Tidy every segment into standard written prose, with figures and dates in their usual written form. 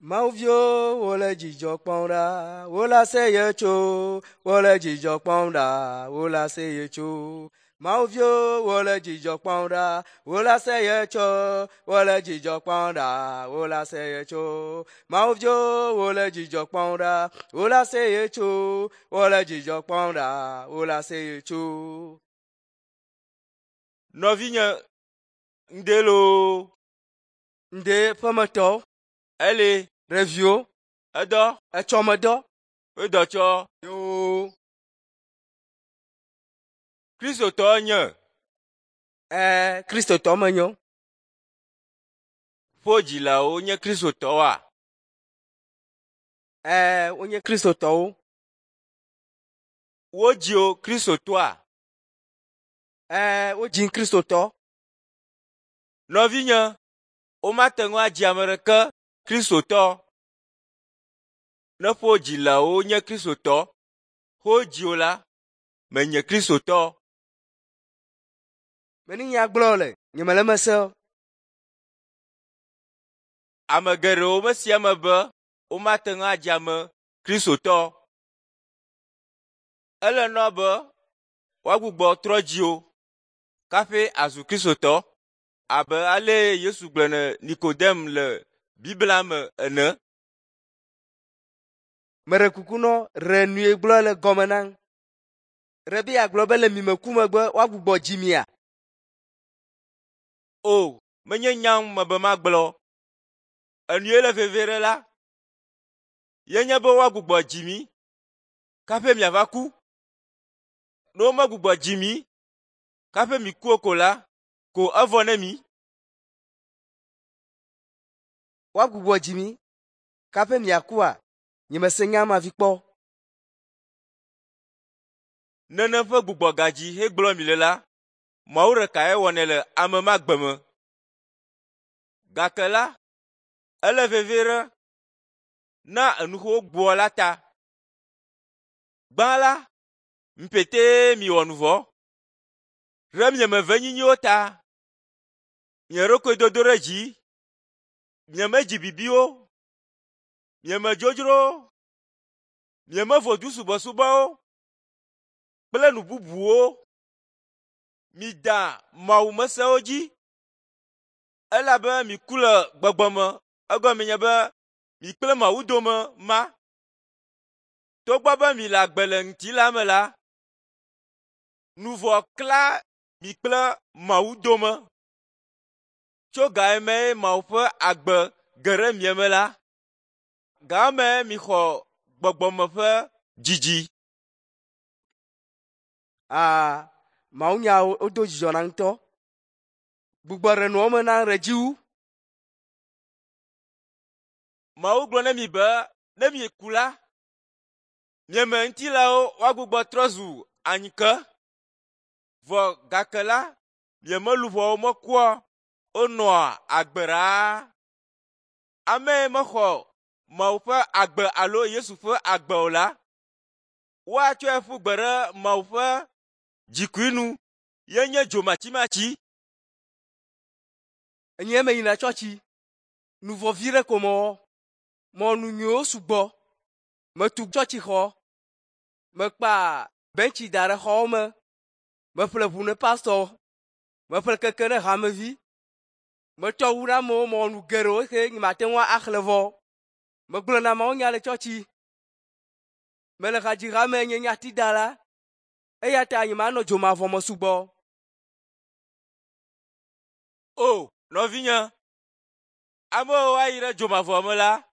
Mawuviwo wole dzidzɔ kpɔm ɖa, wole aseye tso, wole dzidzɔ kpɔm ɖa, wole aseye tso. Mawuviwo wole dzidzɔ kpɔm ɖa, wole aseye tso, wole dzidzɔ kpɔm ɖa, wole aseye tso. Mawuviwo wole dzidzɔ kpɔm ɖa, wole aseye tso, wole dzidzɔ kpɔm ɖa, wole aseye tso. Nɔvinye, ŋde loo. Ŋde ƒemetɔwo. Ele. Ɖeviwo. Edɔ. Etsɔmedɔ. Edɔ tsɔ. Yoo. Kristotɔ nye. Ɛɛ, Kristotɔ menyo. Ƒo dzilawo nye Kristotɔwoa? Ɛɛ, wonye Kristotɔwo. Wodzi wò Kristotɔa? Ɛɛ, wodzim Kristotɔ. Nɔvinye, womate ŋu adzi ame ɖeke Kristotɔ. Ne ƒo dzilawo nye Kristotɔ, wodzi wò la, menye Kristotɔ. Meni nya gblɔ le, nyemele eme se o. Ame geɖewo mesia eme be womate ŋu adzi ame Kristotɔ. Ele nɔ be woagbugbɔ trɔ dzi wò kaƒi azu Kristotɔ abe ale Yesu gblɔ ne Nikodem le Biblia me ene. Meɖe kuku nɔ ɖe nue gblɔ le gɔme nam. Ɖe be yeagblɔ be le mime ku megbe woagbugbɔ dzi mia? O, menye nyam mebe magblɔ. Enue le vevie ɖe la, ye nye be woagbugbɔ dzi mi kaƒe miava ku. Ne womegbugbɔ dzi mi kaƒe mi ku o ko la, ko evɔ ne mi. Woagbugbɔ dzi mi kaƒe miakua? Nyemese nya ma vi kpɔ. Nene ƒe gbugbɔgadzi hegblɔ mi le la, Mawu ɖekae wɔnɛ le ame ma gbe me. Gake la, ele vevie ɖe na enuxewo gbɔ la ta. Gbã la, ŋpetee miwɔ nu vɔ. Ɖe mieme venyinyiwo ta, mia ɖokui dodo ɖe dzi, mieme dzibibiwo, mieme dzodzrowo, mieme vodu subɔsubɔwo kple nu bubuwo. Mida mawumesewo dzi elabe miku le gbɔgbɔ me egɔme nye be mi kple Mawu dome ma. Togbɔ be mi le agbe le ŋutilã me la, nu vɔ̃ kla mi kple Mawu dome. Tso ga yi me Mawu ƒe agbe ge ɖe mia me la, ga me mixɔ gbɔgbɔme ƒe dzidzi. Aa, Mawunyawo wodo dzidzɔ na ŋutɔ. Gbugbɔ ɖe nua me na ɖe dzi wu. Mawu gblɔ na mi be ne mieku la, mieme ŋutilawo woagbugbɔ trɔ zu anyike. Vɔ gake la, mieme luʋɔwo mekua wonɔa agbe ɖaa. Ame yi mexɔ Mawu ƒe agbe alo Yesu ƒe agbe o la, woatsɔe ƒu gbe ɖe Mawu ƒe dzikui nu ye nye dzomatsimatsi. Enye meyina tsɔtsi. Nu vɔ vi ɖe ko mewɔ. Mɔ nu nyuiwo sugbɔ. Metu tsɔtsixɔ. Mekpa bentsi da ɖe xɔwo me. Meƒle ʋu ne pastɔ. Meƒle keke ne hamevi. Metsɔ wu ɖe amewo mewɔ nu geɖewo xe nyemate ŋu axlẽ vɔ. Megblɔna mawunya le tsɔtsi. Mele hadzihame nye nyatidala. Eya ta nyemanɔ dzomavɔ me sugbɔ. O, nɔvinye, amewo ayi ɖe dzomavɔ me la,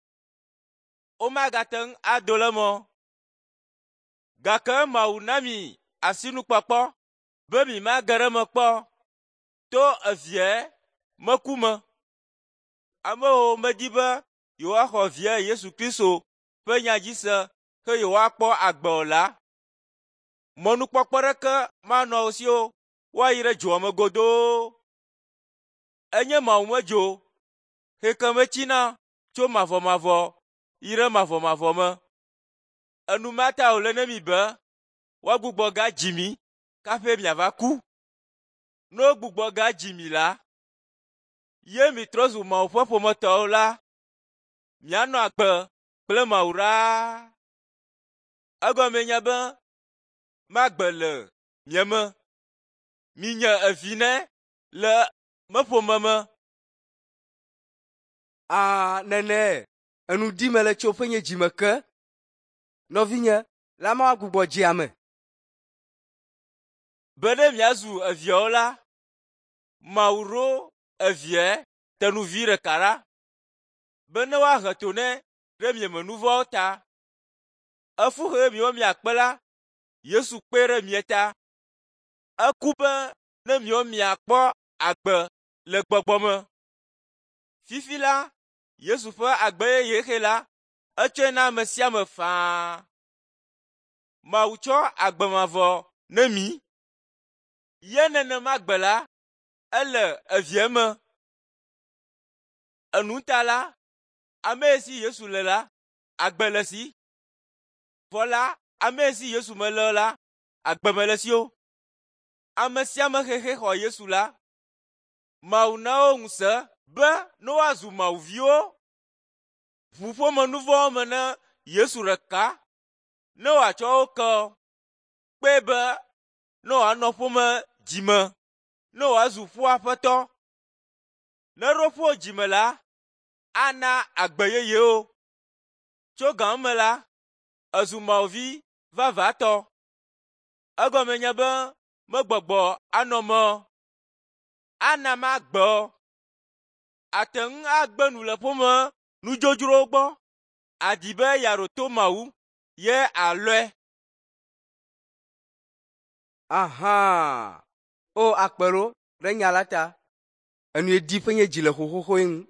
womagate ŋu ado le eme o. Gake Mawu na mi asinukpɔkpɔ be mi mage ɖe eme kpɔ to evia meku me. Amewo medi be yewoaxɔ via Yesu Kristo ƒe nya dzi se ke yewoakpɔ agbe o la, mɔnukpɔkpɔ ɖeke manɔ wo si o woayi ɖe dzoa me godoo. Enye Mawu me dzo xeke metsina tso mavɔmavɔ yi ɖe mavɔmavɔ me. Enu ma ta wòle ne mi be woagbugbɔ gadzi mi kaƒe miava ku. Ne wogbugbɔ gadzi mi la, ye mitrɔ zu Mawu ƒe ƒometɔwo la, mianɔ agbe kple Mawu ɖaa. Egɔmee nye be magbe le mia me. Minye evi nɛ le meƒome me. Aa nene enu di mele tso ƒe nye dzime ke. Nɔvinye, la ma gbugbɔ dzi ame. Be ne miazu eviawo la, Mawu ɖo evia tenuvi ɖeka ɖa be ne woahe to nɛ ɖe mieme nu vɔ̃wo ta. Efu xe miwo miakpe la, Yesu kpe ɖe mia ta. Eku be ne miwo miakpɔ agbe le gbɔgbɔ me. Fifi la, Yesu ƒe agbe yeye xe la, etsɔe na ame sia ame faa. Mawu tsɔ agbe mavɔ ne mí. Ye nenema gbe la, ele evia me. Enu ta la, ame si Yesu le la, agbe le si. Vɔ la, ame si Yesu mele o la, agbe mele si o. Ame sia ame xexe xɔ Yesu la, Mawu na wo ŋusẽ be ne woazu Mawu viwo. Ʋu ƒome nu vɔ̃wo me ne Yesu ɖeka ne wòatsɔ wo ke kpee be ne wòanɔ ƒome dzime, ne wòazu ƒu aƒetɔ. Ne eɖo ƒu dzime la, ana agbe yeyewo. Tso ga me la, ezu Mawu vi vavãtɔ. Egɔme nye be megbɔgbɔ anɔ me o. Ana magbe o. Ate ŋu agbe nu le ƒome nudzodzrowo gbɔ. Adi be yeaɖo to Mawu ye alɔe. Aha! O akpe ɖo ɖe nya la ta. Enu di ƒe nye dzi le xoxoxoe ŋu.